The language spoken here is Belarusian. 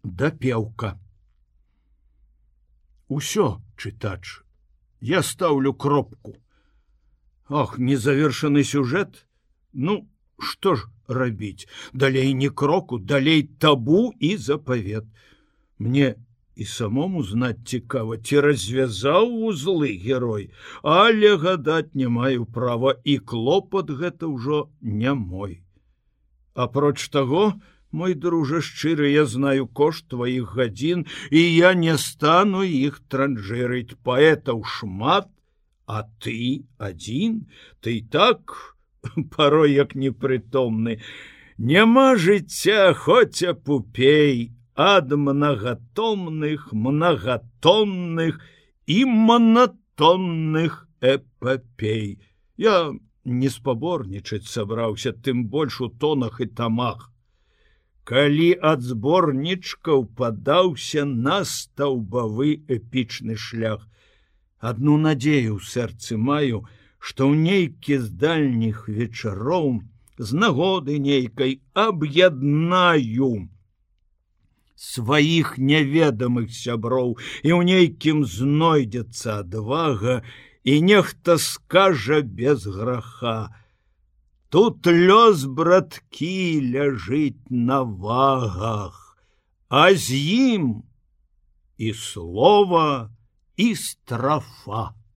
Дапеўка. Усё, чытач, я стаўлю кропку. Ах, незавершаны сюжэт. Ну, што ж рабіць? Далей ні кроку, далей табу і запавет. Мне і самому знаць цікава, ці развязаў вузлы герой, але гадаць не маю права, і клопат гэта ўжо не мой. Апроч таго, мой дружа шчыры, я знаю кошт тваіх гадзін, і я не стану іх транжырыць. Паэтаў шмат, а ты адзін, ты так парой як непрытомны. Няма жыцця, хоць апупей, ад многатомных, многатонных і монатонных эпопей. Я не спаборнічаць сабраўся, тым больш у тонах і тамах. Калі ад зборнічкаў падаўся на стаўбавы эпічны шлях, адну надзею ў сэрцы маю, што ў нейкі з дальніх вечароў з нагоды нейкай аб'яднаю сваіх неведамых сяброў, і ў нейкім знойдзецца адвага, і нехта скажа без граха: тут лёс, браткі, ляжыць на вагах, а з ім і слова, і страфа.